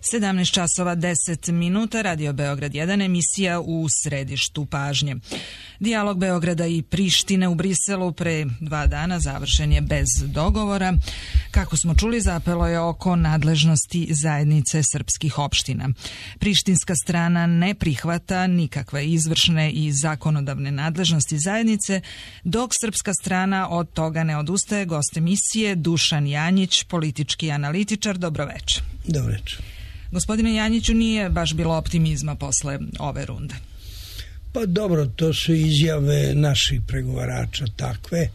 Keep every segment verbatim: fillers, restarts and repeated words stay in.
sedamnaest časova deset minuta, Radio Beograd jedan, emisija u središtu pažnje. Dijalog Beograda i Prištine u Briselu pre dva dana završen je bez dogovora. Kako smo čuli, zapelo je oko nadležnosti zajednice srpskih opština. Prištinska strana ne prihvata nikakve izvršne i zakonodavne nadležnosti zajednice, dok srpska strana od toga ne odustaje. Gost emisije Dušan Janjić, politički analitičar. Dobroveče. Dobroveče. Gospodine Janjiću, nije baš bilo optimizma posle ove runde. Pa dobro, to su izjave naših pregovarača takve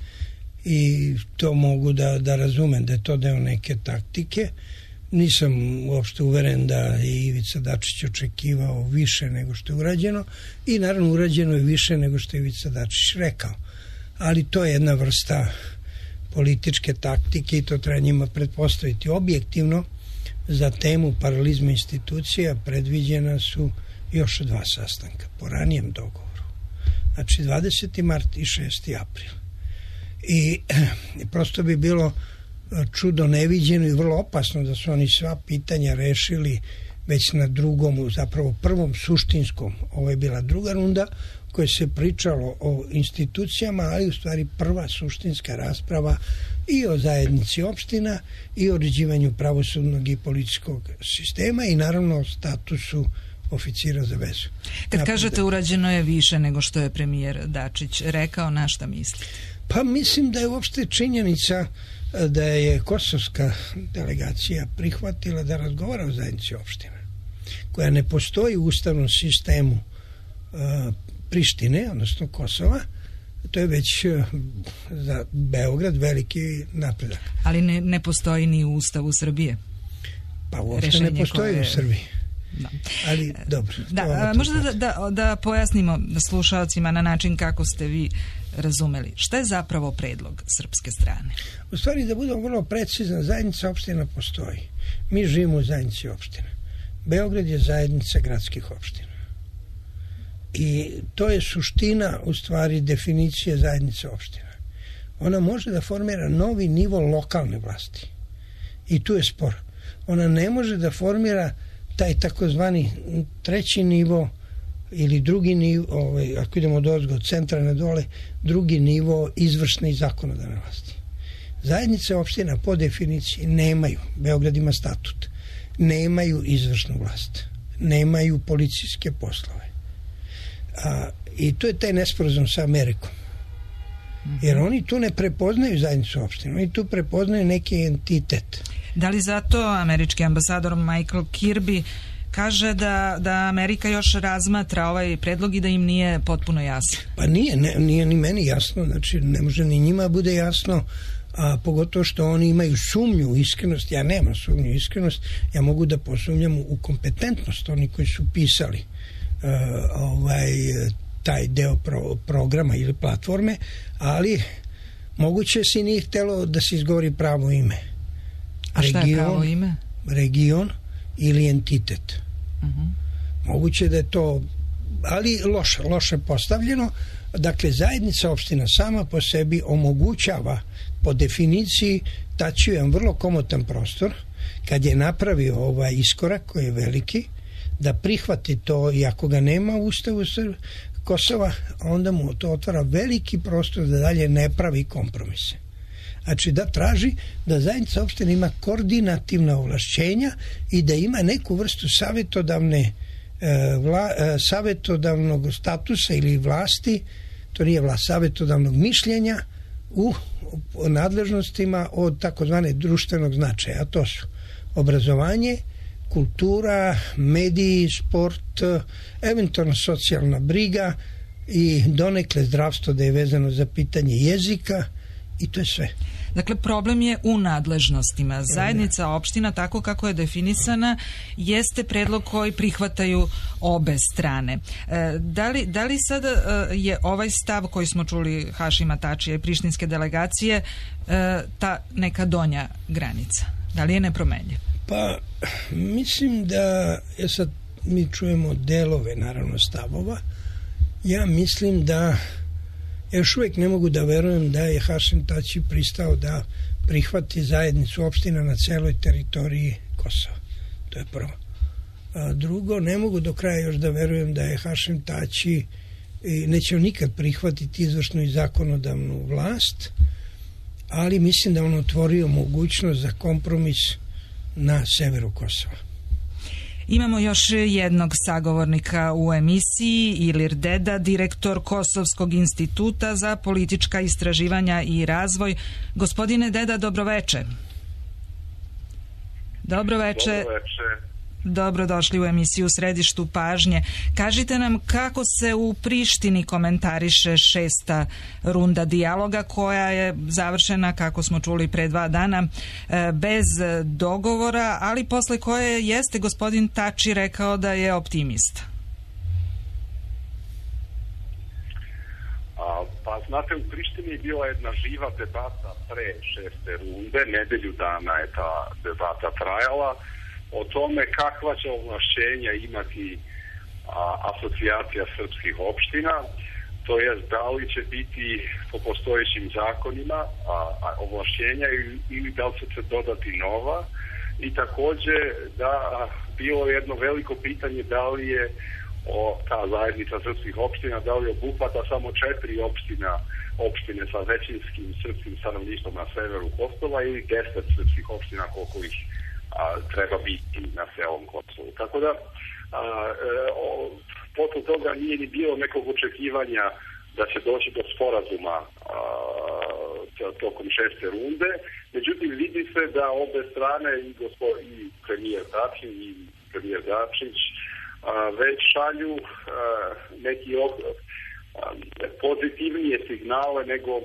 i to mogu da, da razumem da je to deo neke taktike. Nisam uopšte uveren da je Ivica Dačić očekivao više nego što je urađeno i naravno urađeno je više nego što je Ivica Dačić rekao. Ali to je jedna vrsta političke taktike i to treba njima pretpostaviti. Objektivno, za temu paralizma institucija predviđena su još dva sastanka po ranijem dogovoru. Znači dvadeseti mart i šesti april. I prosto bi bilo čudo neviđeno i vrlo opasno da su oni sva pitanja rešili već na drugom, zapravo prvom suštinskom. Ovo je bila druga runda koje se pričalo o institucijama, ali u stvari prva suštinska rasprava i o zajednici opština i o uređivanju pravosudnog i policijskog sistema i naravno o statusu oficira za vezu. Kad Napred... kažete urađeno je više nego što je premijer Dačić rekao, na šta mislite? Pa mislim da je uopšte činjenica da je kosovska delegacija prihvatila da razgovara o zajednici opština, koja ne postoji u ustavnom sistemu uh, Prištine, odnosno Kosova. To je već uh, za Beograd veliki napredak. Ali ne, ne postoji ni u Ustavu Srbije? Pa uopšte Rešenje ne postoji koje... u Srbiji. Da. Ali dobro. Da, možda da, da, da pojasnimo slušalcima na način kako ste vi razumeli. Šta je zapravo predlog srpske strane? U stvari, da budemo vrlo precizna, zajednica opština postoji. Mi živimo u zajednici opština. Beograd je zajednica gradskih opština. I to je suština, u stvari, definicije zajednice opština. Ona može da formira novi nivo lokalne vlasti. I tu je spor. Ona ne može da formira taj takozvani treći nivo ili drugi nivo, ovaj, ako idemo od ozgo, od centra na dole, drugi nivo izvršne i zakonodavne vlasti. Zajednice opština po definiciji nemaju, Beograd ima statut, nemaju izvršnu vlast, nemaju policijske poslove. A, i to je taj nesporazum sa Amerikom. Jer oni tu ne prepoznaju zajednicu opština, oni tu prepoznaju neki entitet. Da li zato američki ambasador Michael Kirby kaže da, da Amerika još razmatra ovaj predlog i da im nije potpuno jasno? Pa nije, ne, nije ni meni jasno, znači ne može ni njima bude jasno, a pogotovo što oni imaju sumnju u iskrenost. Ja nemam sumnju u iskrenost, ja mogu da posumnjam u kompetentnost oni koji su pisali uh, ovaj, taj deo pro, programa ili platforme, ali moguće se nije htjelo da se izgovori pravo ime. A šta region, je pravo ime? Region ili entitet. Uh-huh. Moguće da je to, ali loše, loše postavljeno. Dakle, zajednica opština sama po sebi omogućava po definiciji tači jedan vrlo komotan prostor kad je napravio ovaj iskorak koji je veliki, da prihvati to i ako ga nema u Ustavu Kosova, onda mu to otvara veliki prostor da dalje ne pravi kompromise. Znači da traži da zajednica opština ima koordinativna ovlašćenja i da ima neku vrstu savjetodavne e, vla, e, savjetodavnog statusa ili vlasti, to nije vlast, savjetodavnog mišljenja u, u nadležnostima od takozvane društvenog značaja, a to su obrazovanje, kultura, mediji, sport, eventualno socijalna briga i donekle zdravstvo da je vezano za pitanje jezika i to je sve. Dakle, problem je u nadležnostima. Zajednica opština, tako kako je definisana, jeste predlog koji prihvataju obe strane. E, da li, da li sada e, je ovaj stav koji smo čuli Hašima Tačija i prištinske delegacije e, ta neka donja granica? Da li je nepromenljiv? Pa, mislim da, ja sad mi čujemo delove, naravno, stavova. Ja mislim da ja još uvijek ne mogu da verujem da je Hašim Tači pristao da prihvati zajednicu opština na celoj teritoriji Kosova. To je prvo. A drugo, ne mogu do kraja još da verujem da je Hašim Tači neće nikad prihvatiti izvršnu i zakonodavnu vlast, ali mislim da on otvorio mogućnost za kompromis na severu Kosova. Imamo još jednog sagovornika u emisiji, Ilir Deda, direktor Kosovskog instituta za politička istraživanja i razvoj. Gospodine Deda, dobroveče. Dobroveče. Dobroveče. Dobrodošli u emisiju Središtu pažnje. Kažite nam kako se u Prištini komentariše šesta runda dijaloga koja je završena, kako smo čuli, pre dva dana bez dogovora, ali posle koje jeste gospodin Tači rekao da je optimista. A, pa znate, u Prištini je bila jedna živa debata pre šeste runde, nedelju dana je ta debata trajala, o tome kakva će ovlašćenja imati a, asocijacija srpskih opština, to jest da li će biti po postojećim zakonima a, a ovlašćenja ili, ili da li će se dodati nova, i takođe da a, bilo jedno veliko pitanje da li je o, ta zajednica srpskih opština, da li obuhvata samo četiri opština, opštine sa većinskim srpskim stanovništvom na severu Kosova ili deset srpskih opština koliko ih A, treba biti na celom Kosovu. Tako da, a, e, o, potom toga nije ni bilo nekog očekivanja da će doći do sporazuma a, tokom šeste runde. Međutim, vidi se da obe strane, i, gospo, i premijer Tači i premijer Dačić, a, već šalju a, neki od, a, pozitivnije signale nego a,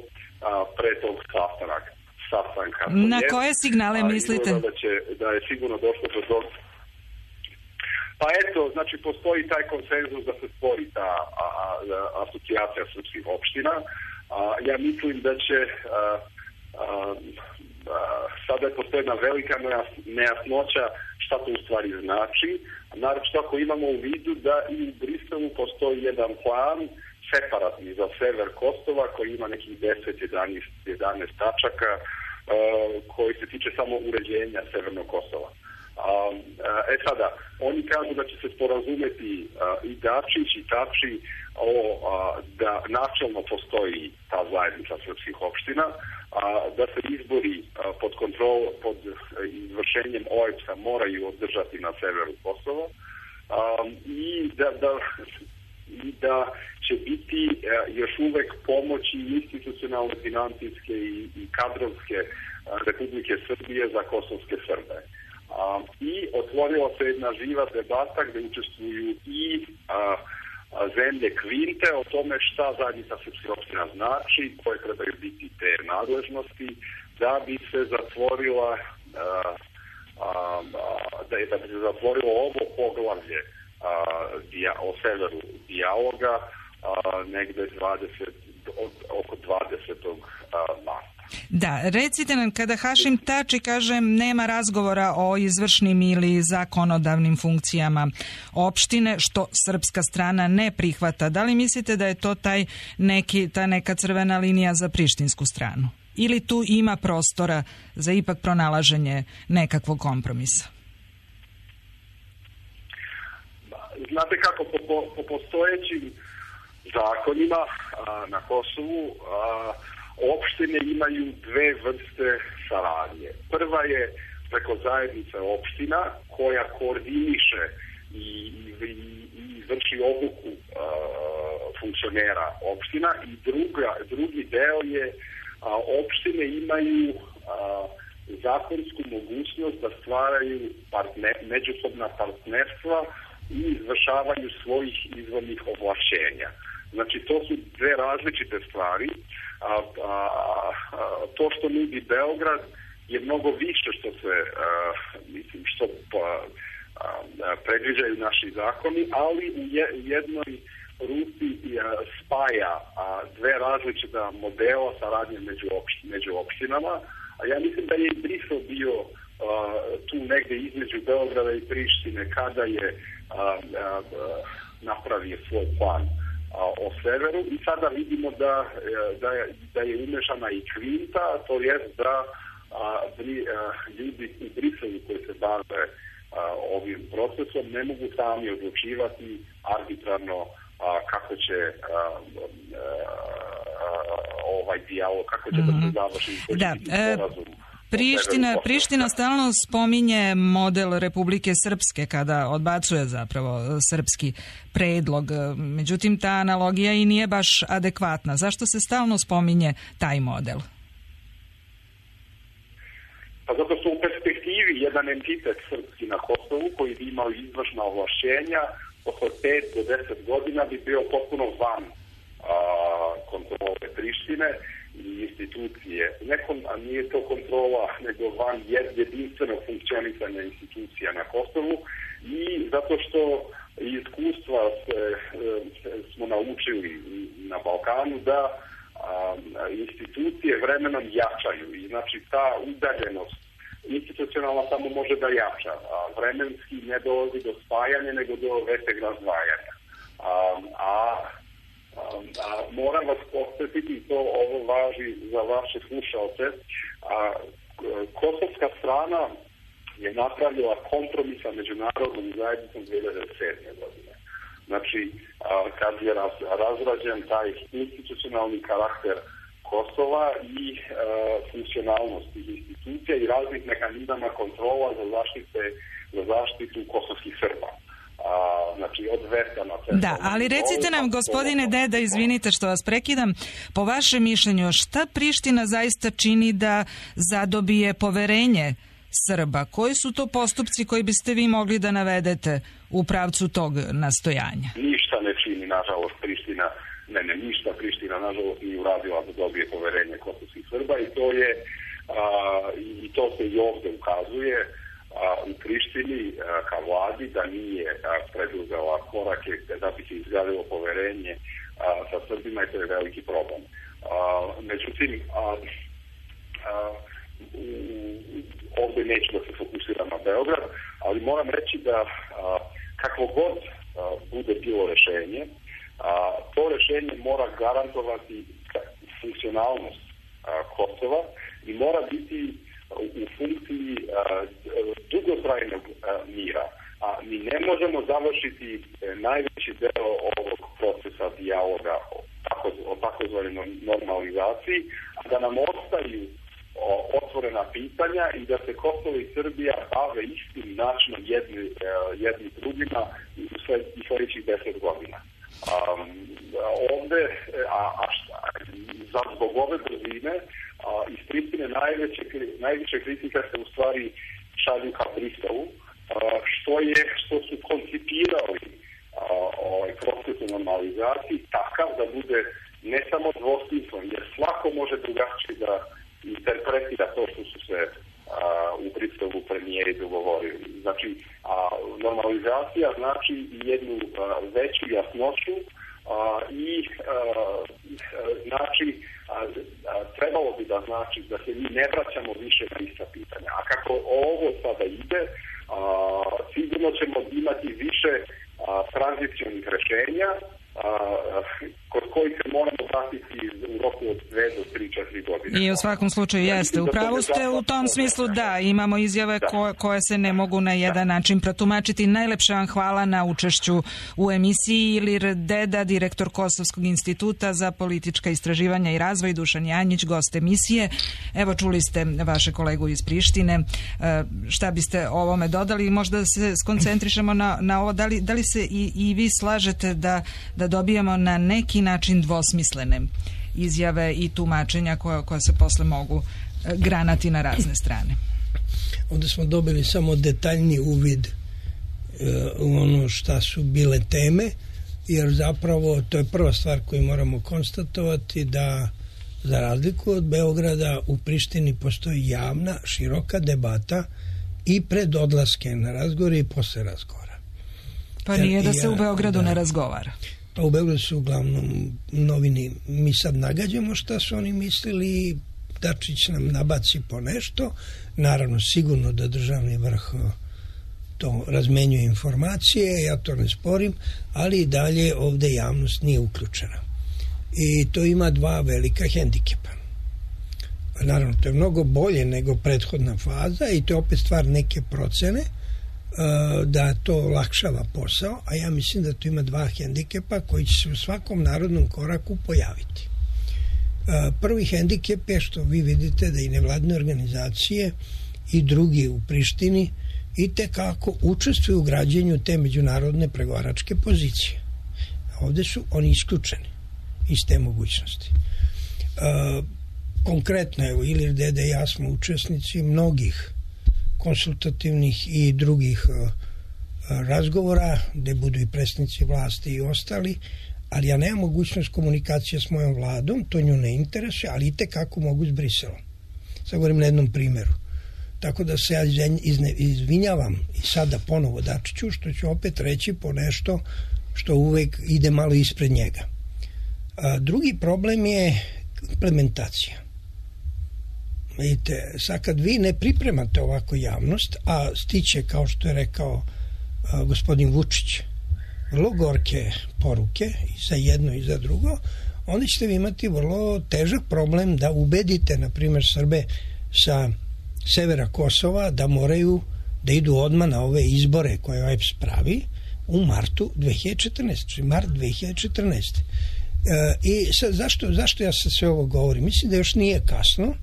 pre tog sastanaka. Sastanka. Na koje signale mislite? Da, će, da je sigurno došlo do toga. Pa eto, znači postoji taj konsenzus da se stvori ta a, a, asocijacija srpskih opština. A, ja mislim da će a, a, a, sada postoji jedna velika nejasnoća šta to u stvari znači. Naravno ako imamo u vidu da i u Briselu postoji jedan plan separatni za sever Kosova koji ima nekih deset do jedanaest tačaka uh, koji se tiče samo uređenja severnog Kosova. Um, uh, e sada, oni kažu da će se sporazumeti uh, i Dačić i Tači o, uh, da načelno postoji ta zajednica srpskih opština, uh, da se izbori uh, pod kontrol, pod uh, izvršenjem O E B S-a moraju održati na severu Kosova um, i da, da i da će biti e, još uvek pomoći institucionalne, financijske i, i kadrovske e, Republike Srbije za kosovske Srbe. A, I otvorila se jedna živa debata gde učestvuju i a, a, zemlje Kvinte o tome šta zajednica srpskih opština znači, koje trebaju biti te nadležnosti, da bi se zatvorila a, a, a, da, je, da bi se zatvorilo ovo poglavlje A, dija, o severu dijaloga a, negde dvadeset, od, oko dvadesetog marta. Da, recite nam, kada Hašim Tači kaže nema razgovora o izvršnim ili zakonodavnim funkcijama opštine, što srpska strana ne prihvata, da li mislite da je to taj neki, ta neka crvena linija za prištinsku stranu? Ili tu ima prostora za ipak pronalaženje nekakvog kompromisa? Znate kako, po, po, po postojećim zakonima a, na Kosovu a, opštine imaju dve vrste saradnje. Prva je preko zajednice opština koja koordiniše i, i, i vrši obuku a, funkcionera opština, i druga, drugi deo je a, opštine imaju a, zakonsku mogućnost da stvaraju partner, međusobna partnerstva i izvršavanju svojih izvornih ovlašćenja. Znači, to su dve različite stvari. A, a, a, to što nudi Beograd je mnogo više što se, a, mislim, što pa, a, a, predviđaju naši zakoni, ali u je, jednoj ruci a, spaja a, dve različita modela saradnje među, opš, među opštinama. A ja mislim da je i Brisel bio Uh, tu negde između Beograda i Prištine kada je uh, uh, napravio svoj plan uh, o severu, i sada vidimo da, uh, da, je, da je umešana i Kvinta, to je da uh, bri, uh, ljudi u Briselu koji se bave ovim procesom, ne mogu sami odlučivati arbitrarno a, kako će a, a, ovaj dijalog, kako će mm-hmm. da se završi, koji da, će biti sporazum. Priština, Priština stalno spominje model Republike Srpske kada odbacuje zapravo srpski predlog. Međutim, ta analogija i nije baš adekvatna. Zašto se stalno spominje taj model? Pa zato što u perspektivi jedan entitet srpski na Kosovu koji bi imao izvršna ovlašćenja posle pet do deset godina bi bio potpuno van a, kontrole Prištine i institucije. Nekom, a nije to kontrola, nego van jedinstvenog funkcionisanja institucija na Kosovu i zato što iskustva se, smo naučili na Balkanu da a, institucije vremenom jačaju i znači ta udaljenost institucionalna samo može da jača, a vremenski ne dolazi do spajanja nego do većeg razdvajanja. A, a A, moram vas podsjetiti, to ovo važi za vaše slušalce, a kosovska strana je napravila kompromis sa međunarodnom zajednicom dve hiljade sedme. godine. Znači, a, kad je raz, razrađen taj institucionalni karakter Kosova i a, funkcionalnost tih institucija i raznih mehanizama kontrola za, zaštite, za zaštitu kosovskih Srba. A, znači od veta na centralnom. Da, ali recite nam, gospodine Deda, izvinite što vas prekidam, po vašem mišljenju, šta Priština zaista čini da zadobije poverenje Srba? Koji su to postupci koji biste vi mogli da navedete u pravcu tog nastojanja? Ništa ne čini, nažalost, Priština, ne, ne, ništa Priština, nažalost, nije uradila da dobije poverenje kosovskih Srba i to je, a, i to se i ovde ukazuje, u Prištini ka vladi da nije preduzela korake da bi se izgradilo poverenje sa Srbima i to je veliki problem. Međutim, ovdje neću da se fokusiram na Beograd, ali moram reći da kakvo god bude bilo rešenje, to rešenje mora garantovati funkcionalnost Kosova i mora biti u funkciji uh, dugotrajnog uh, mira. A mi ne možemo završiti uh, najveći deo ovog procesa dijaloga o, tako, o takozvanoj normalizaciji, a da nam ostaju o, otvorena pitanja i da se Kosovo i Srbija bave istim načinom jedni, uh, jedni drugima u sled, sljedećih deset godina. Um, ovde, a, a šta, za zbog ove brzine, A, iz Prištine najveće, najveće kritika se u stvari šalju ka Briselu, što je, što su koncipirali a, ovaj proces normalizacije takav da bude ne samo dvosmislen, jer svako može drugačije da interpretira to što su se a, u Briselu premijeri dogovorili. Znači, a, normalizacija znači jednu a, veću jasnoću a, i a, znači A, a, trebalo bi da znači da se mi ne vraćamo više na ista pitanja. A kako ovo sada ide, a, sigurno ćemo imati više a, tranzicionih rešenja a, kod kojih se moramo vratiti u roku od dve do tri, četiri godine. I u svakom slučaju jeste. Upravo ste u tom smislu da, imamo izjave ko, koje se ne mogu na jedan da. način protumačiti. Najlepše vam hvala na učešću u emisiji. Ilir Deda, direktor Kosovskog instituta za politička istraživanja i razvoj, Dušan Janjić, gost emisije. Evo, čuli ste vaše kolegu iz Prištine. Šta biste ovome dodali? Možda se skoncentrišemo na, na ovo. Da li, da li se i, i vi slažete da, da dobijemo na neki način dvosmislene izjave i tumačenja koja, koja se posle mogu granati na razne strane? Onda smo dobili samo detaljni uvid e, u ono šta su bile teme, jer zapravo to je prva stvar koju moramo konstatovati, da za razliku od Beograda u Prištini postoji javna, široka debata i pred odlaske na razgovor i posle razgovora. Pa nije da se ja, u Beogradu da, ne razgovara. Pa u Beogradu su uglavnom novini, mi sad nagađamo šta su oni mislili, Dačić nam nabaci po nešto, naravno sigurno da državni vrh to razmenjuje informacije, ja to ne sporim, ali i dalje ovde javnost nije uključena. I to ima dva velika hendikepa. Naravno, to je mnogo bolje nego prethodna faza i to je opet stvar neke procene, da to olakšava posao, a ja mislim da tu ima dva hendikepa koji će se u svakom narodnom koraku pojaviti. Prvi hendikep je što vi vidite da i nevladne organizacije i drugi u Prištini i tekako učestvuju u građenju te međunarodne pregovaračke pozicije. Ovde su oni isključeni iz te mogućnosti. Konkretno, evo, Ilir Dede i ja smo učesnici mnogih konsultativnih i drugih razgovora, gde budu i predstavnici vlasti i ostali, ali ja nemam mogućnost komunikacije s mojom vladom, to nju ne interesuje, ali i tekako mogu s Briselom. Sad govorim na jednom primjeru. Tako da se ja izvinjavam i sada ponovo Dačiću, što ću opet reći po nešto što uvek ide malo ispred njega. A, drugi problem je implementacija. Vidite, sad kad vi ne pripremate ovako javnost, a stiće, kao što je rekao a, gospodin Vučić, vrlo gorke poruke i za jedno i za drugo, onda ćete vi imati vrlo težak problem da ubedite, na primjer, Srbe sa severa Kosova da moraju da idu odmah na ove izbore koje O E B S pravi u martu dve hiljade četrnaeste. Mart dve hiljade četrnaeste. E, I sad, zašto, zašto ja sad sve ovo govorim? Mislim da još nije kasno,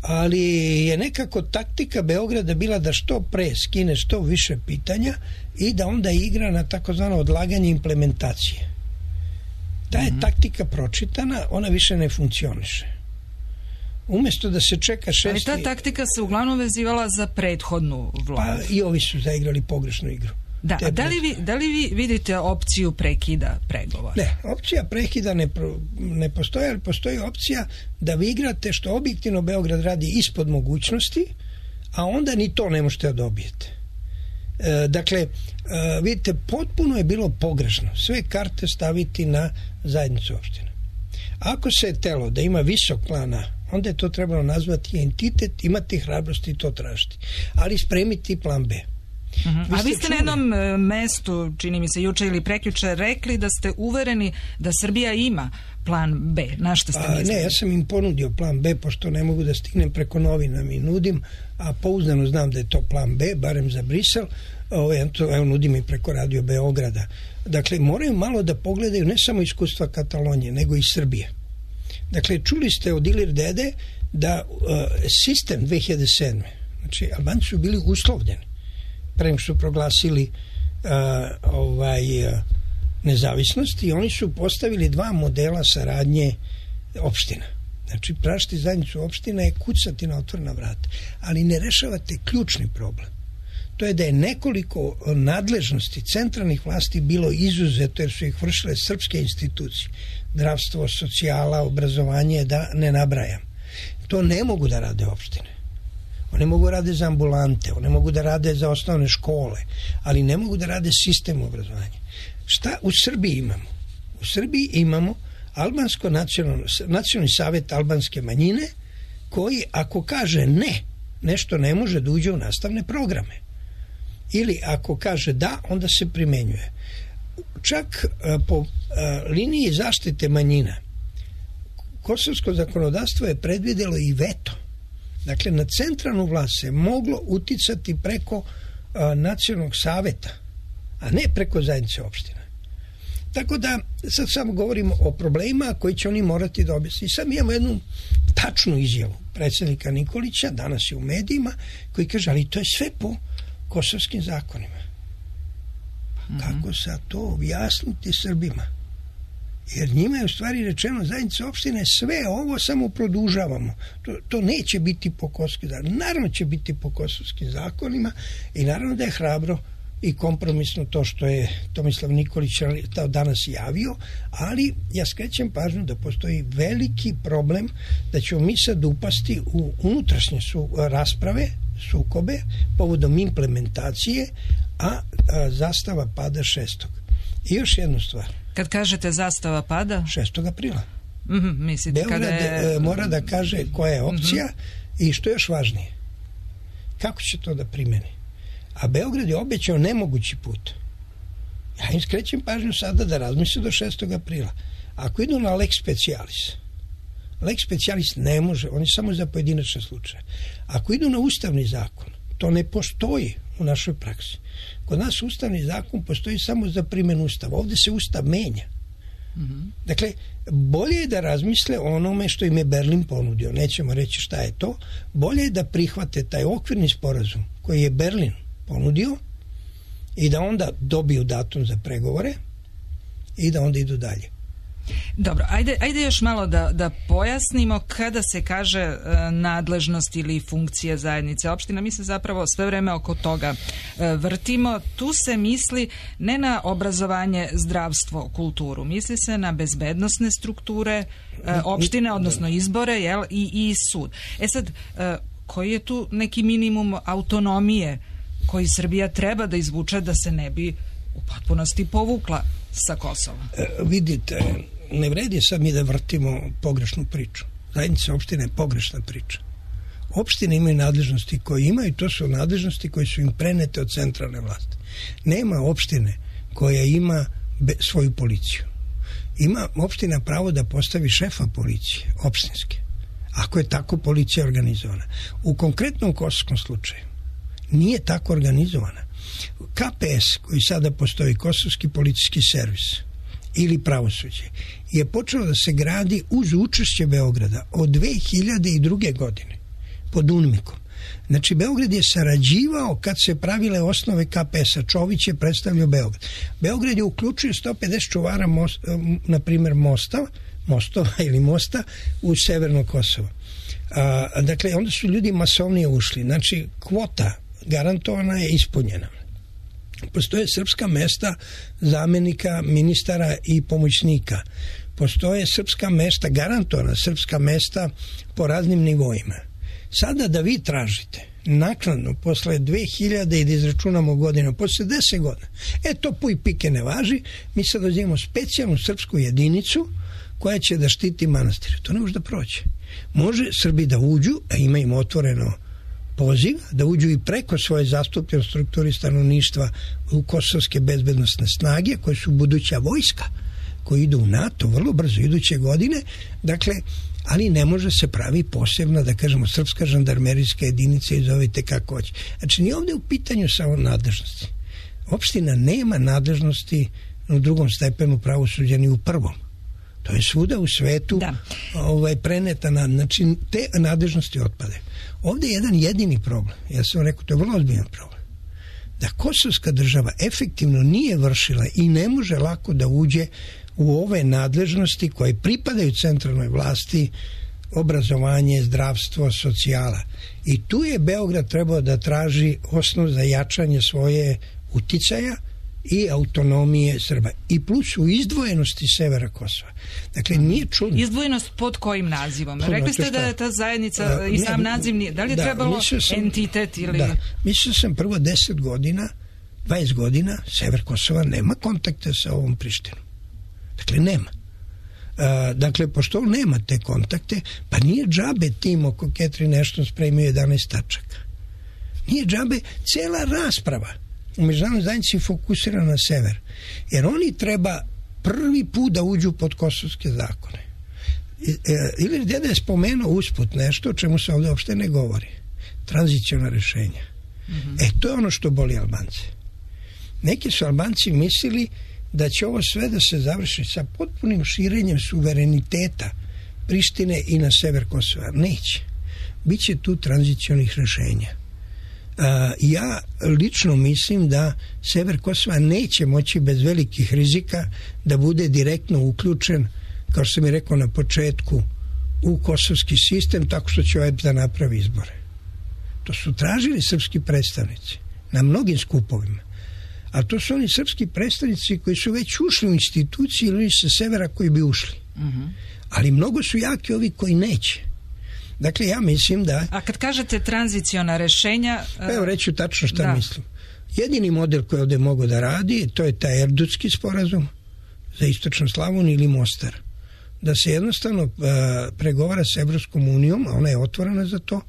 ali je nekako taktika Beograda bila da što pre skine što više pitanja i da onda igra na takozvano odlaganje implementacije. Ta je mm-hmm. taktika pročitana, ona više ne funkcioniše. Umesto da se čeka šesti... Ali ta taktika se uglavnom vezivala za prethodnu vladu. Pa i ovi su zaigrali pogrešnu igru. Da, a da li, vi, da li vi vidite opciju prekida pregovora? Ne, opcija prekida ne, pro, ne postoji, ali postoji opcija da vi igrate što objektivno Beograd radi ispod mogućnosti, a onda ni to ne možete da dobijete. E, dakle, e, vidite, potpuno je bilo pogrešno sve karte staviti na zajednicu opština. Ako se je telo da ima visok plana, onda je to trebalo nazvati entitet, imati hrabrosti i to tražiti. Ali spremiti plan B. Uh-huh. A vi ste čuli na jednom mestu, čini mi se juče ili prekjuče, rekli da ste uvereni da Srbija ima plan B. Na što ste a, mislili? Ne, ja sam im ponudio plan B, pošto ne mogu da stignem preko novina mi nudim, a pouzdano znam da je to plan B, barem za Brisel, ovo, evo nudim i preko Radio Beograda. Dakle, moraju malo da pogledaju ne samo iskustva Katalonije, nego i Srbije. Dakle, čuli ste od Ilir Dede da uh, sistem dve hiljade sedme. Znači, Albanci su bili uslovljeni pre nego što su proglasili uh, ovaj, uh, nezavisnost i oni su postavili dva modela saradnje opština. Znači, prašiti zajednicu opština je kucati na otvorena vrata, ali ne rešavate ključni problem. To je da je nekoliko nadležnosti centralnih vlasti bilo izuzeto jer su ih vršile srpske institucije. Zdravstvo, socijala, obrazovanje, da ne nabrajam. To ne mogu da rade opštine. One mogu da rade za ambulante, one mogu da rade za osnovne škole, ali ne mogu da rade sistem obrazovanja. Šta u Srbiji imamo? U Srbiji imamo Albansko nacionalno, nacionalni savet albanske manjine koji ako kaže ne, nešto ne može da uđe u nastavne programe. Ili ako kaže da, onda se primenjuje. Čak a, po a, liniji zaštite manjina kosovsko zakonodavstvo je predvidelo i veto. Dakle, na centralnu vlast se moglo uticati preko a, nacionalnog saveta, a ne preko zajednice opština. Tako da, sad samo govorimo o problemima koji će oni morati da objasniti. Sad imamo jednu tačnu izjavu predsjednika Nikolića, danas je u medijima, koji kaže, ali to je sve po kosovskim zakonima. Mm-hmm. Kako sad to objasniti Srbima? Jer njima je u stvari rečeno zajednica opštine sve ovo samo produžavamo. To, to neće biti po kosovskim zakonima. Naravno će biti po kosovskim zakonima i naravno da je hrabro i kompromisno to što je Tomislav Nikolić danas javio, ali ja skrećem pažnju da postoji veliki problem da ćemo mi sad upasti u unutrašnje su rasprave, sukobe povodom implementacije, a, a zastava pada šestog. I još jednu stvar. Kad kažete zastava pada? šestog aprila. Mm-hmm, mislite Beograd kada je... mora da kaže koja je opcija mm-hmm. i što je još važnije. Kako će to da primeni? A Beograd je obećao nemogući put. Ja im skrećem pažnju sada da razmisle do šestog aprila. Ako idu na lex specialis, lex specialis ne može, on je samo za pojedinačne slučaje. Ako idu na ustavni zakon, to ne postoji u našoj praksi. Kod nas ustavni zakon postoji samo za primjenu ustava. Ovdje se ustav menja. Mm-hmm. Dakle, bolje je da razmisle o onome što im je Berlin ponudio. Nećemo reći šta je to. Bolje je da prihvate taj okvirni sporazum koji je Berlin ponudio i da onda dobiju datum za pregovore i da onda idu dalje. Dobro, ajde, ajde još malo da, da pojasnimo kada se kaže e, nadležnost ili funkcije zajednice opština. Mi se zapravo sve vreme oko toga e, vrtimo. Tu se misli ne na obrazovanje, zdravstvo, kulturu. Misli se na bezbednosne strukture e, opštine, odnosno izbore, jel, i, i sud. E sad, e, koji je tu neki minimum autonomije koji Srbija treba da izvuče da se ne bi u potpunosti povukla sa Kosova? E, vidite, ne vredi sad mi da vrtimo pogrešnu priču. Zajednica opština je pogrešna priča. Opštine imaju nadležnosti koje imaju, to su nadležnosti koje su im prenete od centralne vlasti. Nema opštine koja ima be, svoju policiju. Ima opština pravo da postavi šefa policije, opštinske, ako je tako policija organizovana. U konkretnom kosovskom slučaju nije tako organizovana. K P S, koji sada postoji, Kosovski policijski servis ili pravosuđe, je počelo da se gradi uz učešće Beograda od dve hiljade druge. godine pod UNMIK-om. Znači, Beograd je sarađivao kad se pravile osnove K P S-a. Čović je predstavljao Beograd. Beograd je uključio sto pedeset čuvara most, na primjer mosta, mostova ili mosta u severno Kosovo. A, dakle, onda su ljudi masovnije ušli. Znači, kvota garantovana je ispunjena. Postoje srpska mesta zamenika ministara i pomoćnika. Postoje srpska mesta, garantovana srpska mesta po raznim nivoima. Sada da vi tražite naknadno posle dve hiljade i da izračunamo godinu, posle deset godina, e to puj pike ne važi, mi sad uzimamo specijalnu srpsku jedinicu koja će da štiti manastir. To ne može da prođe. Može Srbi da uđu, a ima im otvoreno poziv, da uđu i preko svoje zastupljene strukturi stanovništva u kosovske bezbednosne snage, koje su buduća vojska, koji idu u NATO vrlo brzo iduće godine, dakle, ali ne može se pravi posebna, da kažemo, srpska žandarmerijska jedinica i zovite kako hoće. Znači, nije ovdje u pitanju samo nadležnosti. Opština nema nadležnosti u drugom stepenu pravosuđa ni u prvom. To je svuda u svetu ovaj, preneta na, znači te nadležnosti otpade. Ovdje je jedan jedini problem. Ja sam rekao, to je vrlo ozbiljan problem. Da kosovska država efektivno nije vršila i ne može lako da uđe u ove nadležnosti koje pripadaju centralnoj vlasti, obrazovanje, zdravstvo, socijala. I tu je Beograd trebao da traži osnov za jačanje svoje uticaja i autonomije Srba. I plus u izdvojenosti severa Kosova. Dakle, nije čudno. Izdvojenost pod kojim nazivom? Pod, Rekli ste da je ta zajednica a, i sam ne, naziv nije. Da li je da, trebalo sam, entitet ili... Da, mislio sam prvo deset godina, dvadeset godina, sever Kosova nema kontakte sa ovom Prištinom. Dakle, nema. A, dakle, pošto on nema te kontakte, pa nije džabe tim oko Catherine Ashton spremio jedanaest tačaka. Nije džabe cela rasprava u međunarodnoj zajednici fokusira na sever. Jer oni treba prvi put da uđu pod kosovske zakone. Ili deda je spomenuo usput nešto o čemu se ovdje uopšte ne govori. Tranziciona rešenja. Mm-hmm. E, to je ono što boli Albance. Neki su Albanci mislili da će ovo sve da se završi sa potpunim širenjem suvereniteta Prištine i na sever Kosova. Neće. Biće tu tranzicionih rešenja. Uh, ja lično mislim da sever Kosova neće moći bez velikih rizika da bude direktno uključen, kao što sam mi rekao na početku, u kosovski sistem tako što će O E B S da napravi izbore. To su tražili srpski predstavnici na mnogim skupovima. A to su oni srpski predstavnici koji su već ušli u instituciji ili sa severa koji bi ušli. Uh-huh. Ali mnogo su jaki ovi koji neće. Dakle, ja mislim da... A kad kažete tranziciona rešenja... Pa evo reću tačno šta da. mislim. Jedini model koji ovdje mogu da radi, to je taj Erdutski sporazum za istočnu Slavoniju ili Mostar. Da se jednostavno uh, pregovara s Evropskom unijom, a ona je otvorena za to,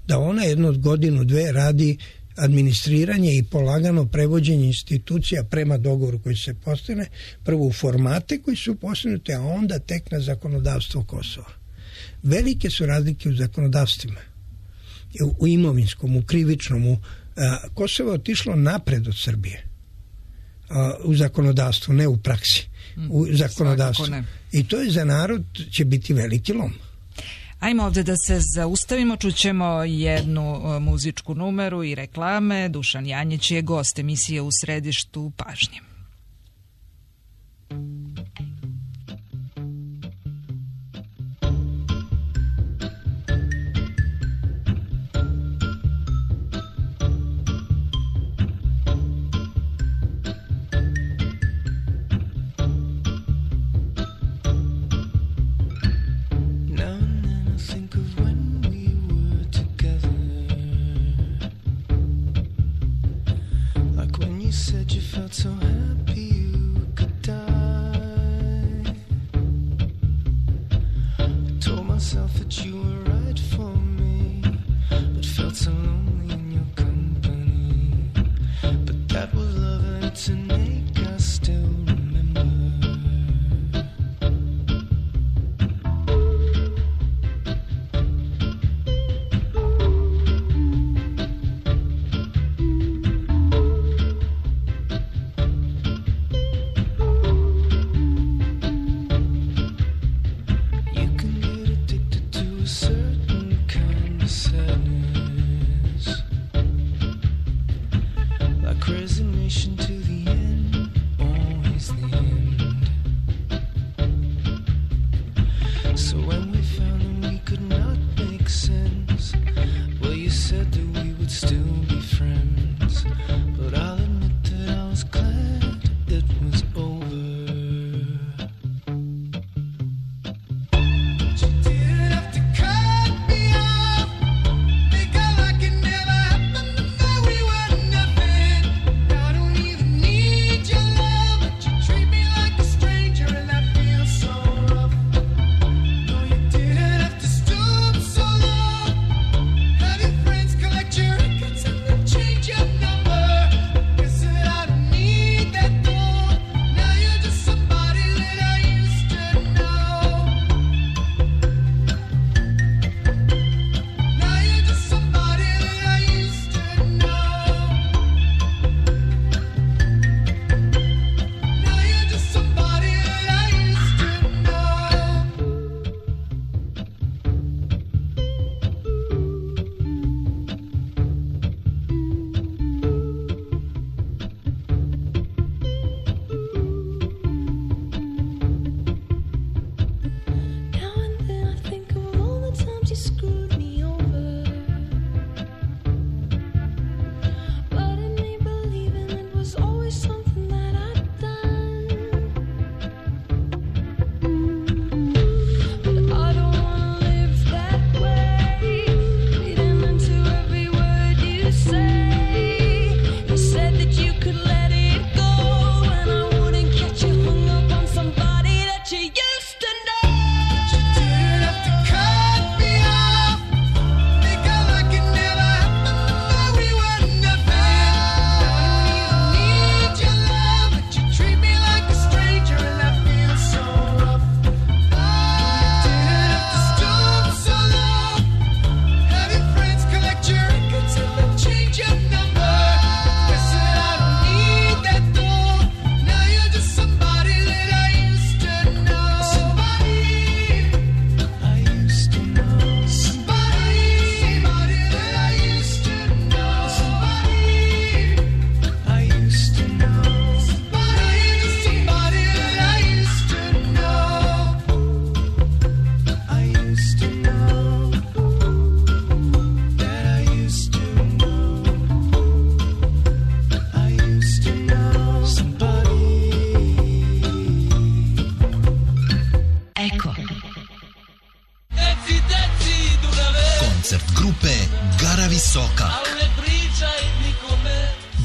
da ona jednu godinu, dve radi administriranje i polagano prevođenje institucija prema dogovoru koji se postigne, prvo u formate koji su postignuti, a onda tek na zakonodavstvo Kosova. Velike su razlike u zakonodavstvima. U imovinskom, u krivičnom, u Kosovo je otišlo napred od Srbije u zakonodavstvu, ne u praksi, u zakonodavstvu. I to je za narod će biti veliki lom. Ajmo ovdje da se zaustavimo, čućemo jednu muzičku numeru i reklame. Dušan Janjić je gost emisije U središtu pažnje. So happy you could die. I told myself that you were right for me, but felt so lonely in your company. But that was love and it's an ache I still remember.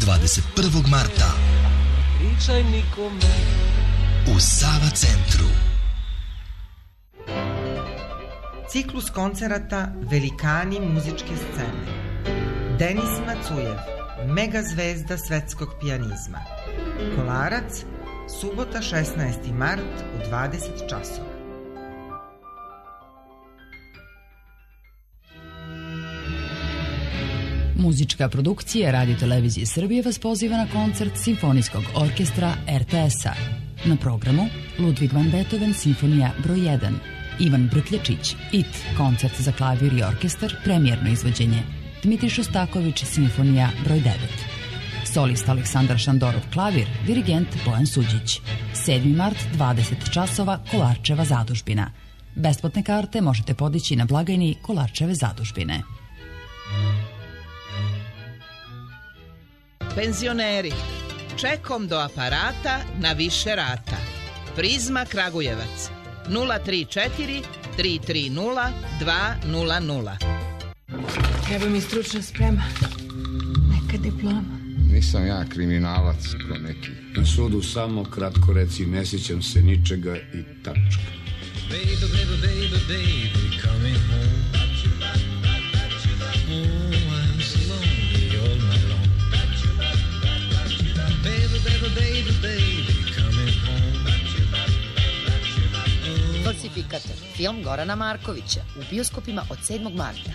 dvadeset prvog marta u Sava centru. Ciklus koncerata Velikani muzičke scene. Denis Macujev, mega zvezda svetskog pijanizma. Kolarac, subota šesnaesti mart u dvadeset časova. Muzička produkcija Radio Televizije Srbije vas poziva na koncert Simfonijskog orkestra er te es-a. Na programu Ludwig van Beethoven Simfonija broj jedan, Ivan Brkljačić, It, koncert za klavir i orkestar, premijerno izvođenje, Dmitrij Šostaković Simfonija broj devet. Solist Aleksandar Šandorov klavir, dirigent Bojan Suđić. sedmi mart, dvadeset časova, Kolarčeva zadužbina. Besplatne karte možete podići na blagajni Kolarčeve zadužbine. Penzioneri, čekom do aparata na više rata. Prizma Kragujevac, nula tri četiri tri tri nula dva nula nula. Treba mi stručna sprema, neka diploma. Nisam ja kriminalac ko neki. Na sudu samo kratko reci, ne sjećam se ničega i tačka. Baby, baby, baby, baby, coming home. Oh, I'm so lonely all night long. Baby, baby, baby, baby, coming home. Falsifikator, film Gorana Markovića, u bioskopima od sedmog marta.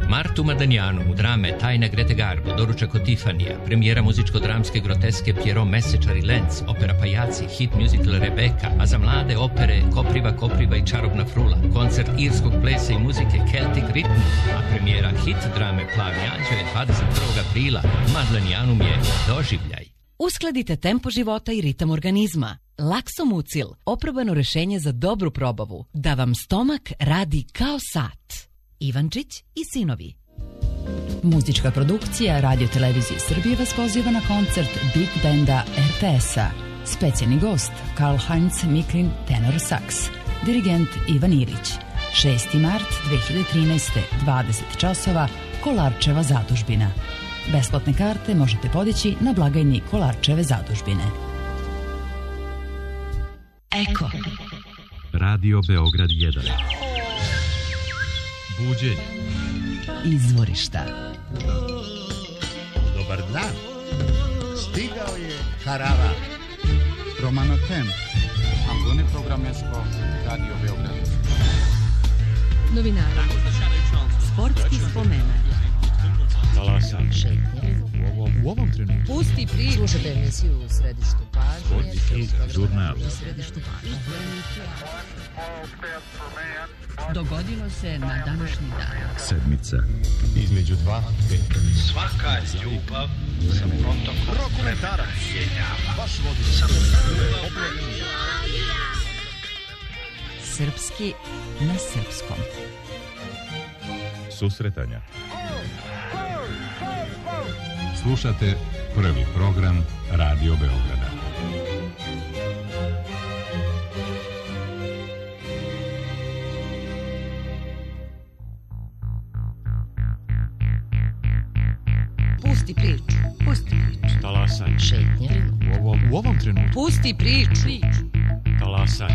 Martu Madanjanu u drame Tajna Grete Garbo, Doručak od Tifanija, premijera muzičko-dramske groteske Pierrot Mesečar i Lenz, opera Pajaci, hit musical Rebeka, a za mlade opere Kopriva, Kopriva i Čarobna frula, koncert irskog plesa i muzike Celtic Rhythm, a premijera hit drame Plavi anđeo je dvadeset prvog aprila. Madlenjanum je doživljaj. Uskladite tempo života i ritam organizma. Laksomucil, oprobano rešenje za dobru probavu, da vam stomak radi kao sat. Ivančić i sinovi. Muzička produkcija Radio Televizije Srbije vas poziva na koncert Big Benda er te es-a. Specijalni gost Karl-Heinz Miklin, tenor saks. Dirigent Ivan Ilić. šesti mart dve hiljade trinaeste. dvadeset časova, Kolarčeva zadužbina. Besplatne karte možete podići na blagajni Kolarčeve zadužbine. Eko. Radio Beograd jedan. Buđenje. Izvorišta. Dobar dan. Stigao je Harava. Romano Tem. Ambone programesko Radio Beograd. Novinari. Sportski spomenar. Talasan. Šetnje. U ovom, u ovom trenutku. Pusti priču. Slušajte emisiju u središtu pažnje. Žurnal. U središtu pažnje. Dogodilo se na današnji dan. Sedmica. Između dva, pet. Svaka ljubav sa protokom Rokomentarac. Baš vodi sa Srpski na srpskom. Susretanja. Slušate prvi program Radio Beograda. Pusti priču. Pusti priču. Talasan. Šetnje. U ovom, u ovom trenutku. Pusti priču. Talasan.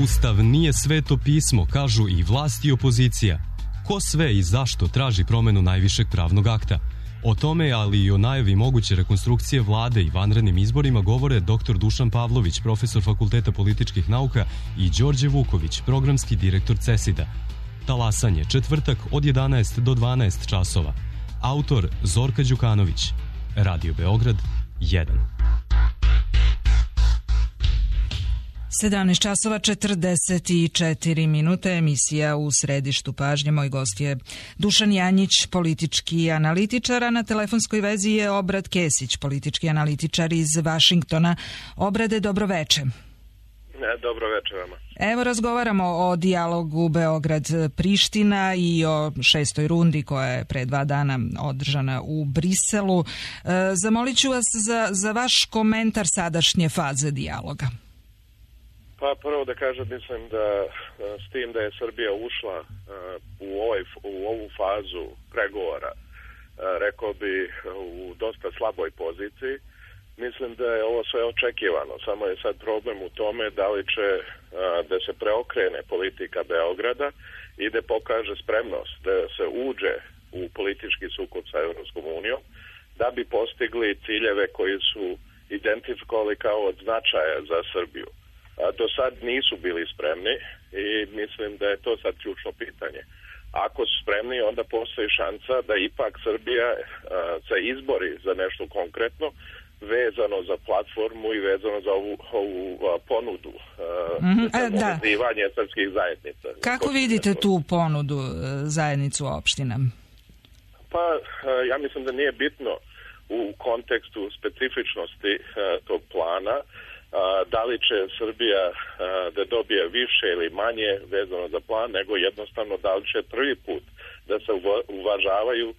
Ustav nije sveto pismo, kažu i vlast i opozicija. Ko sve i zašto traži promenu najvišeg pravnog akta? O tome, ali i o najavi moguće rekonstrukcije vlade i vanrednim izborima govore doktor Dušan Pavlović, profesor Fakulteta političkih nauka, i Đorđe Vuković, programski direktor CESID-a. Talasanje, četvrtak od jedanaest do dvanaest časova. Autor Zorka Đukanović. Radio Beograd jedan. sedamnaest časova četrdeset četiri minute, emisija u središtu pažnje. Moj gost je Dušan Janjić, politički analitičar, a na telefonskoj vezi je Obrad Kesić, politički analitičar iz Vašingtona. Obrade, dobroveče. Dobro večer vama. Evo, razgovaramo o dijalogu Beograd-Priština i o šestoj rundi koja je pre dva dana održana u Briselu. E, zamolit ću vas za, za vaš komentar sadašnje faze dijaloga. Pa prvo da kažem, mislim da s tim da je Srbija ušla u, ovaj, u ovu fazu pregovora, rekao bi u dosta slaboj poziciji. Mislim da je ovo sve očekivano, samo je sad problem u tome da li će da se preokrene politika Beograda i da pokaže spremnost da se uđe u politički sukob sa Evropskom unijom, da bi postigli ciljeve koji su identifikovali kao od značaja za Srbiju. A do sad nisu bili spremni i mislim da je to sad ključno pitanje. Ako su spremni, onda postoji šansa da ipak Srbija a, se izbori za nešto konkretno vezano za platformu i vezano za ovu, ovu a, ponudu a, mm-hmm. za povezivanje da. srpskih zajednica. Kako vidite tu ponudu zajednicu opština? Pa ja mislim da nije bitno u kontekstu specifičnosti a, tog plana a, da li će Srbija a, da dobije više ili manje vezano za plan, nego jednostavno da li će prvi put da se uvažavaju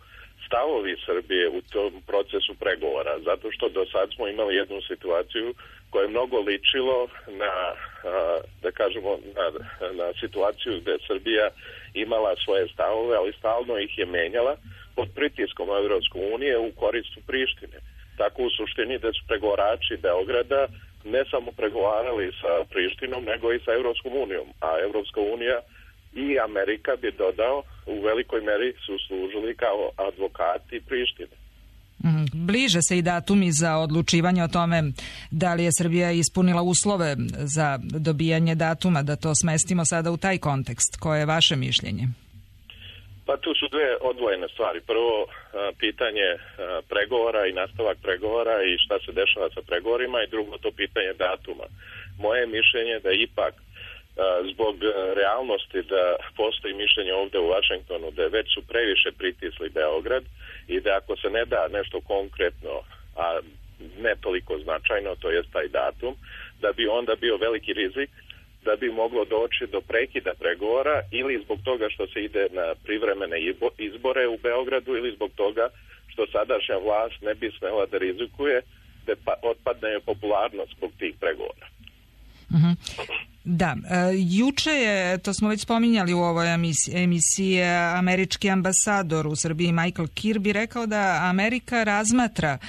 stavovi Srbije u tom procesu pregovora, zato što do sad smo imali jednu situaciju koja je mnogo ličilo na, da kažemo, na, na situaciju gde Srbija imala svoje stavove, ali stalno ih je menjala pod pritiskom Evropske unije u koristu Prištine. Tako u suštini da su pregovarači Beograda ne samo pregovarali sa Prištinom, nego i sa Evropskom unijom, a Evropska unija i Amerika bi dodao u velikoj meri su služili kao advokati Prištine. Bliže se i datumi za odlučivanje o tome da li je Srbija ispunila uslove za dobijanje datuma, da to smestimo sada u taj kontekst. Koje je vaše mišljenje? Pa tu su dve odvojene stvari. Prvo, pitanje pregovora i nastavak pregovora i šta se dešava sa pregovorima, i drugo to pitanje datuma. Moje mišljenje da ipak zbog realnosti da postoji mišljenje ovde u Vašingtonu da već su previše pritisli Beograd i da ako se ne da nešto konkretno, a ne toliko značajno, to je taj datum, da bi onda bio veliki rizik da bi moglo doći do prekida pregovora ili zbog toga što se ide na privremene izbore u Beogradu ili zbog toga što sadašnja vlast ne bi smela da rizikuje da otpadne popularnost zbog tih pregovora. Mm-hmm. Da, e, juče je, to smo već spominjali u ovoj emisiji, emisiji, američki ambasador u Srbiji Michael Kirby rekao da Amerika razmatra e,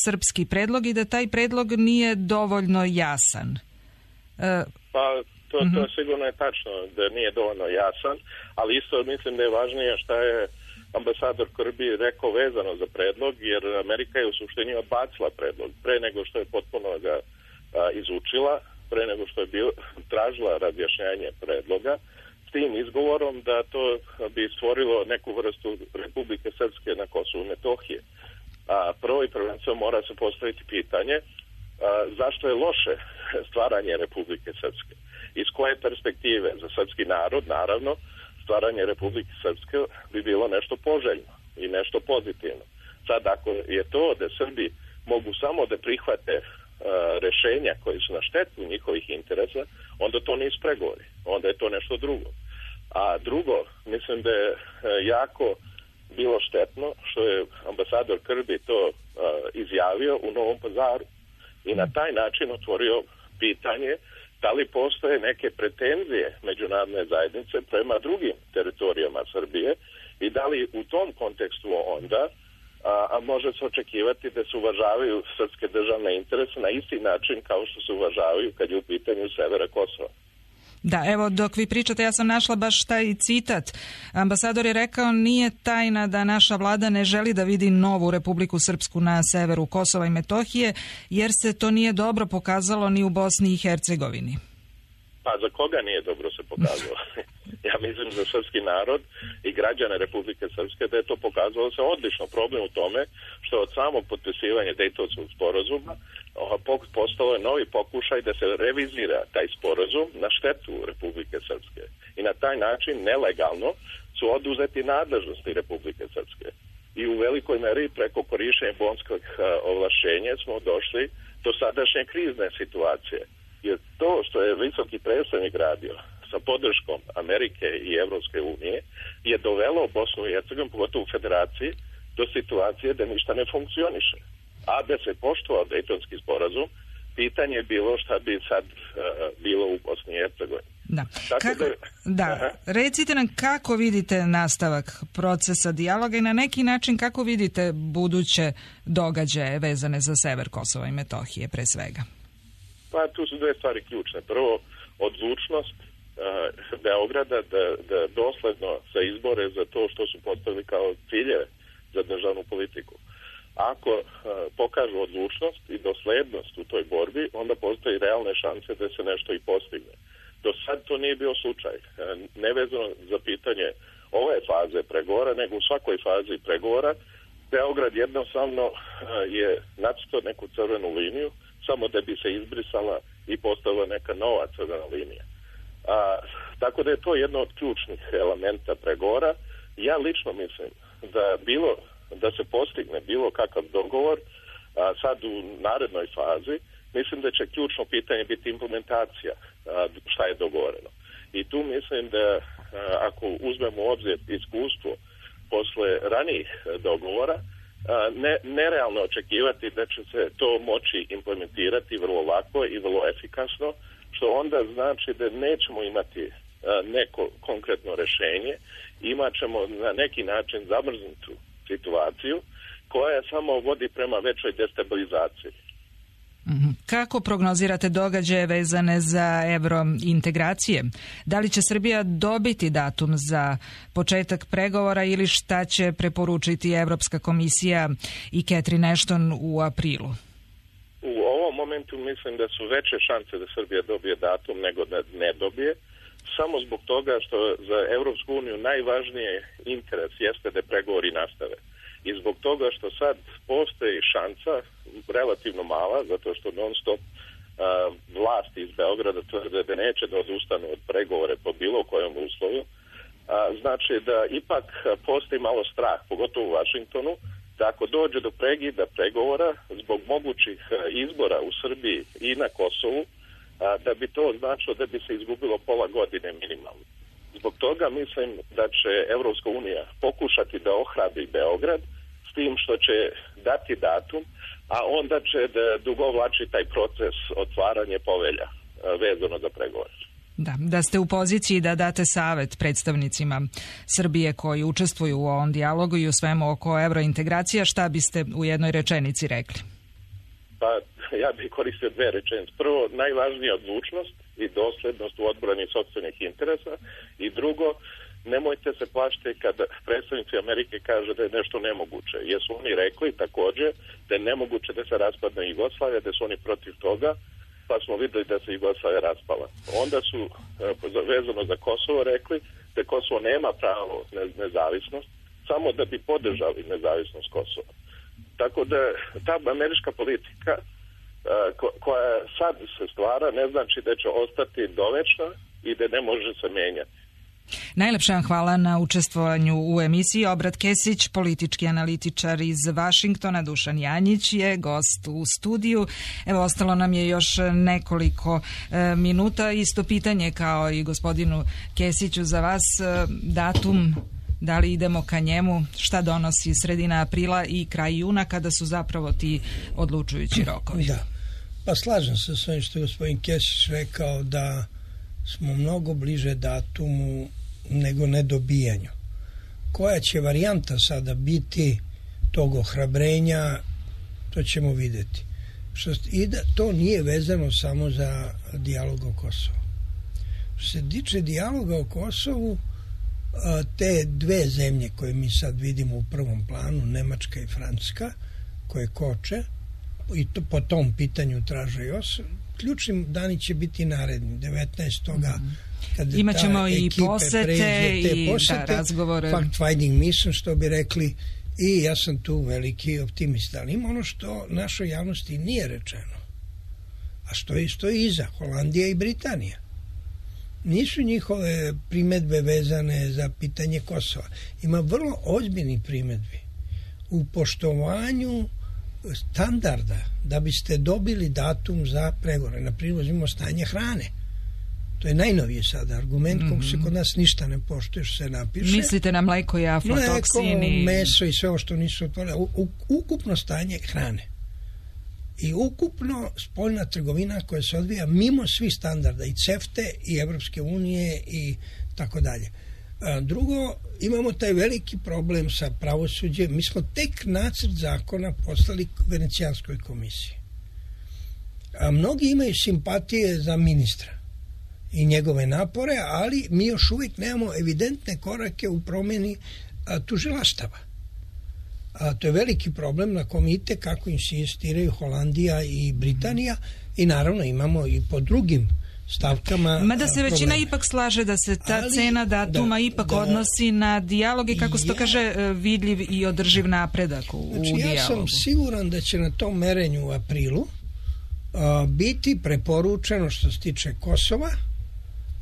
srpski predlog i da taj predlog nije dovoljno jasan. E, pa to, mm-hmm. to sigurno je tačno da nije dovoljno jasan, ali isto mislim da je važnije šta je ambasador Kirby rekao vezano za predlog, jer Amerika je u suštini odbacila predlog pre nego što je potpuno ga a, izučila, pre nego što je bio, tražila razjašnjanje predloga, s tim izgovorom da to bi stvorilo neku vrstu Republike Srpske na Kosovu i Metohije. A prvo i prvenstveno mora se postaviti pitanje a, zašto je loše stvaranje Republike Srpske. Iz koje perspektive? Za srpski narod, naravno, stvaranje Republike Srpske bi bilo nešto poželjno i nešto pozitivno. Sad, ako je to da Srbi mogu samo da prihvate rešenja koji su na štetu njihovih interesa, onda to nisu pregovori. Onda je to nešto drugo. A drugo, mislim da je jako bilo štetno što je ambasador Kirby to uh, izjavio u Novom Pazaru i na taj način otvorio pitanje da li postoje neke pretenzije međunarodne zajednice prema drugim teritorijama Srbije i da li u tom kontekstu onda A, a može se očekivati da se uvažavaju srpske državne interese na isti način kao što se uvažavaju kad je u pitanju severa Kosova. Da, evo dok vi pričate ja sam našla baš taj citat. Ambasador je rekao nije tajna da naša vlada ne želi da vidi novu Republiku Srpsku na severu Kosova i Metohije jer se to nije dobro pokazalo ni u Bosni i Hercegovini. Pa za koga nije dobro se pokazalo? Ja mislim za srpski narod i građane Republike Srpske da je to pokazalo se odlično. Problem u tome što od samog potpisivanja Dejtonskog sporazuma postalo je novi pokušaj da se revizira taj sporazum na štetu Republike Srpske. I na taj način nelegalno su oduzeti nadležnosti Republike Srpske. I u velikoj meri preko korišćenja bonskog ovlašćenja smo došli do sadašnje krizne situacije. Jer to što je visoki predstavnik radio sa podrškom Amerike i Evropske unije je dovelo Bosnu i Hercegovinu, pogotovo u federaciji, do situacije da ništa ne funkcioniše. A da se poštovao Dejtonski sporazum, pitanje je bilo šta bi sad uh, bilo u Bosni i Hercegovini. Da. Kako, da. Recite nam kako vidite nastavak procesa dijaloga i na neki način kako vidite buduće događaje vezane za sever Kosova i Metohije pre svega? Pa tu su dve stvari ključne. Prvo, odlučnost uh, Beograda da, da dosledno se izbore za to što su postavili kao ciljeve za državnu politiku. Ako uh, pokažu odlučnost i doslednost u toj borbi, onda postoji realne šanse da se nešto i postigne. Do sad to nije bio slučaj. Uh, nevezano za pitanje ove faze pregovora, nego u svakoj fazi pregovora Beograd jednostavno je nacrtao neku crvenu liniju samo da bi se izbrisala i postavila neka nova crvena linija. A, tako da je to jedno od ključnih elementa pregovora. Ja lično mislim da bilo da se postigne bilo kakav dogovor a, sad u narednoj fazi, mislim da će ključno pitanje biti implementacija a, šta je dogovoreno. I tu mislim da a, ako uzmemo u obzir iskustvo posle ranijih dogovora, a, ne, nerealno očekivati da će se to moći implementirati vrlo lako i vrlo efikasno, što onda znači da nećemo imati a, neko konkretno rešenje, imat ćemo na neki način zamrznutu situaciju koja samo vodi prema većoj destabilizaciji. Kako prognozirate događaje vezane za evrointegracije? Da li će Srbija dobiti datum za početak pregovora ili šta će preporučiti Evropska komisija i Catherine Ashton u aprilu? U ovom momentu mislim da su veće šanse da Srbija dobije datum nego da ne dobije, samo zbog toga što za Evropsku uniju najvažnije interes jeste da pregovori nastave. I zbog toga što sad postoji šansa, relativno mala, zato što non stop uh, vlasti iz Beograda tvrde da neće da odustanu od pregovore po bilo kojem uslovu, uh, znači da ipak postoji malo strah, pogotovo u Vašingtonu, da ako dođe do pregida pregovora zbog mogućih izbora u Srbiji i na Kosovu, uh, da bi to značilo da bi se izgubilo pola godine minimalno. Zbog toga mislim da će Evropska unija pokušati da ohrabri Beograd s tim što će dati datum, a onda će da dugovlači taj proces otvaranje povelja vezano za pregovore. Da, da ste u poziciji da date savet predstavnicima Srbije koji učestvuju u ovom dijalogu i u svemu oko evrointegracija, šta biste u jednoj rečenici rekli? Pa ja bih koristio dve rečenice. Prvo, najvažnija odlučnost i doslednost u odbrani sopstvenih interesa i drugo, nemojte se plašiti kada predstavnici Amerike kaže da je nešto nemoguće. Jer su oni rekli također da je nemoguće da se raspadne Jugoslavija, da su oni protiv toga, pa smo videli da se Jugoslavija raspala. Onda su vezano za Kosovo rekli da Kosovo nema pravo na nezavisnost, samo da bi podržali nezavisnost Kosova. Tako da ta američka politika koja sad se stvara ne znači da će ostati dovečna i da ne može se menjati. Najlepša vam hvala na učestvovanju u emisiji. Obrat Kesić, politički analitičar iz Vašingtona, Dušan Janjić je gost u studiju. Evo, ostalo nam je još nekoliko e, minuta. Isto pitanje kao i gospodinu Kesiću za vas. E, datum, da li idemo ka njemu, šta donosi sredina aprila i kraj juna kada su zapravo ti odlučujući rokovi? Da, pa slažem se s ovim što je gospodin Kesić rekao da smo mnogo bliže datumu nego nedobijanju. Koja će varijanta sada biti tog ohrabrenja, to ćemo vidjeti. Što, i da to nije vezano samo za dijalog o Kosovu. Što se tiče dijaloga o Kosovu, te dve zemlje koje mi sad vidimo u prvom planu, Nemačka i Francuska, koje koče i to, po tom pitanju traže još, ključni dani će biti naredni, devetnaestog kad imaćemo i posete i posete, da, razgovore. Fact-finding mission, što bi rekli, i ja sam tu veliki optimista. Ali ima ono što našoj javnosti nije rečeno, a što je isto iza, Holandija i Britanija. Nisu njihove primedbe vezane za pitanje Kosova. Ima vrlo ozbiljni primedbi u poštovanju standarda da biste dobili datum za pregovore. Na primjer, uzmimo stanje hrane. To je najnoviji sada argument, mm-hmm. kog se kod nas ništa ne poštuje što se napiše. Mislite na mleko i aflatoksin? Mleko, meso i sve ovo što nisu otvorili. Ukupno stanje hrane. I ukupno spoljna trgovina koja se odvija mimo svih standarda i CEFTE i Evropske unije i tako dalje. Drugo, imamo taj veliki problem sa pravosuđem. Mi smo tek nacrt zakona poslali Venecijanskoj komisiji. A mnogi imaju simpatije za ministra i njegove napore, ali mi još uvijek nemamo evidentne korake u promjeni tužilaštava. A to je veliki problem na kom ite kako insistiraju Holandija i Britanija i naravno imamo i po drugim stavkama. Mada se većina probleme. ipak slaže da se ta Ali, cena datuma da, ipak da, odnosi na dijalog i kako se to ja, kaže vidljiv i održiv napredak u, znači, u ja dijalogu. sam siguran da će na tom merenju u aprilu a, biti preporučeno što se tiče Kosova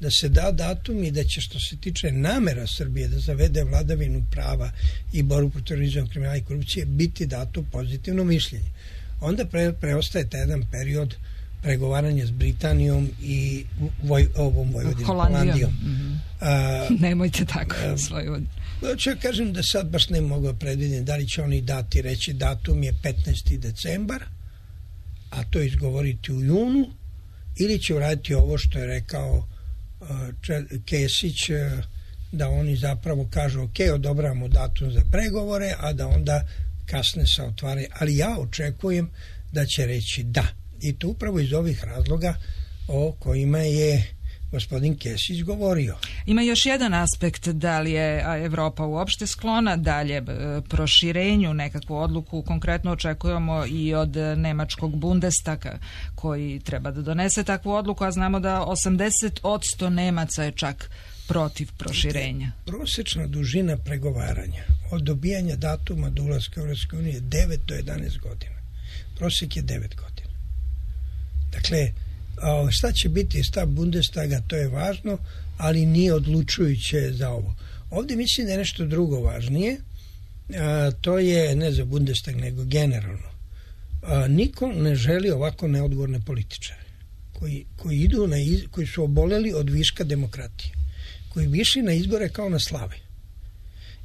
da se da datum i da će što se tiče namera Srbije da zavede vladavinu prava i borbu protiv terorizma, kriminala i korupcije biti dato pozitivno mišljenje. Onda pre, preostaje taj jedan period pregovaranja s Britanijom i voj, ovom Vojvodinom, Holandijom. Holandijom. Mm-hmm. A, Nemojte tako a, svoju... Ću ja kažem da sad baš ne mogu predvidjeti da li će oni dati reći datum je petnaesti decembar, a to izgovoriti u junu, ili će uraditi ovo što je rekao Kesić, da oni zapravo kažu ok, odobravamo datum za pregovore, a da onda kasne sa otvaranje. Ali ja očekujem da će reći da. I to upravo iz ovih razloga o kojima je gospodin Kesić govorio. Ima još jedan aspekt, da li je Evropa uopšte sklona dalje proširenju, nekakvu odluku konkretno očekujemo i od nemačkog Bundestaga koji treba da donese takvu odluku, a znamo da osamdeset posto Nemaca je čak protiv proširenja. Prosječna dužina pregovaranja od dobijanja datuma do ulaska u Europsku uniju je devet do jedanaest godina. Prosjek je devet godina. Dakle, šta će biti stav Bundestaga, to je važno, ali nije odlučujuće za ovo. Ovdje mislim da je nešto drugo važnije, a, to je ne za Bundestag nego generalno. A, niko ne želi ovako neodgovorne političare koji, koji idu na iz, koji su oboleli od viška demokratije, koji bi išli na izbore kao na slave.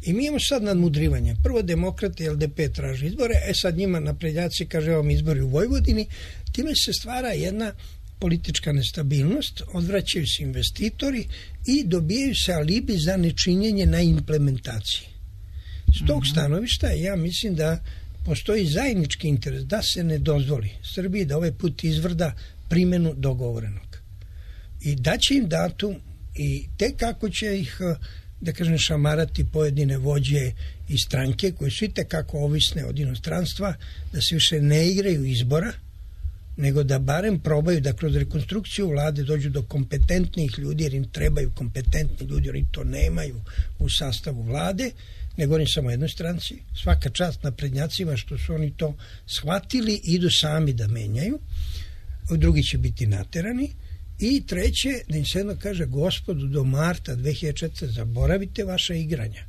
I mi imamo sad nadmudrivanje. Prvo demokrati L D P traži izbore, e sad njima naprednjaci kaže vam izbori u Vojvodini, time se stvara jedna politička nestabilnost, odvraćaju se investitori i dobijaju se alibi za nečinjenje na implementaciji. S tog stanovišta ja mislim da postoji zajednički interes da se ne dozvoli Srbiji da ovaj put izvrda primjenu dogovorenog. I da će im datum i tek kako će ih, da kažem, šamarati pojedine vođe i stranke koje su i tekako ovisne od inostranstva, da se više ne igraju izbora, nego da barem probaju da kroz rekonstrukciju vlade dođu do kompetentnih ljudi, jer im trebaju kompetentni ljudi, jer oni to nemaju u sastavu vlade, ne govorim samo o jednoj stranci, svaka čast naprednjacima što su oni to shvatili i idu sami da menjaju, drugi će biti naterani, i treće, da im se jedno kaže, gospodu, do marta dve hiljade četvrte zaboravite vaša igranja.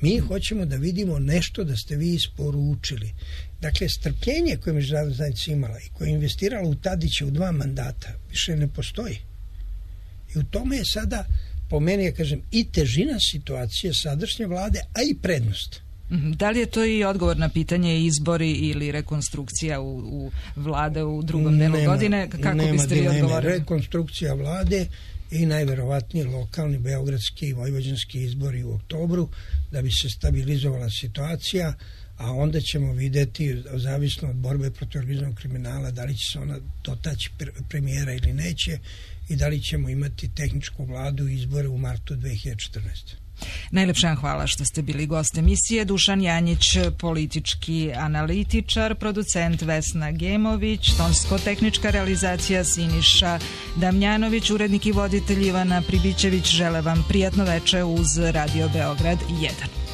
Mi hoćemo da vidimo nešto da ste vi isporučili. Dakle, strpljenje koje je međunarodna zajednica imala i koje je investirala u Tadića u dva mandata više ne postoji. I u tome je sada, po meni, ja kažem, i težina situacije sadašnje vlade, a i prednost. Da li je to i odgovor na pitanje izbori ili rekonstrukcija u, u vlade u drugom delu nema, godine? Kako nema biste vi odgovorili? Rekonstrukcija vlade i najverovatnije lokalni, beogradski i vojvođanski izbori u oktobru da bi se stabilizovala situacija, a onda ćemo vidjeti, zavisno od borbe protiv organizovanog kriminala, da li će se ona dotaći premijera ili neće i da li ćemo imati tehničku vladu i izbore u martu dve hiljade četrnaeste. Najlepša vam hvala što ste bili gost emisije. Dušan Janjić, politički analitičar, producent Vesna Gemović, tonsko-tehnička realizacija Siniša Damjanović, urednik i voditelj Ivana Pribićević. Žele vam prijatno veče uz Radio Beograd jedan.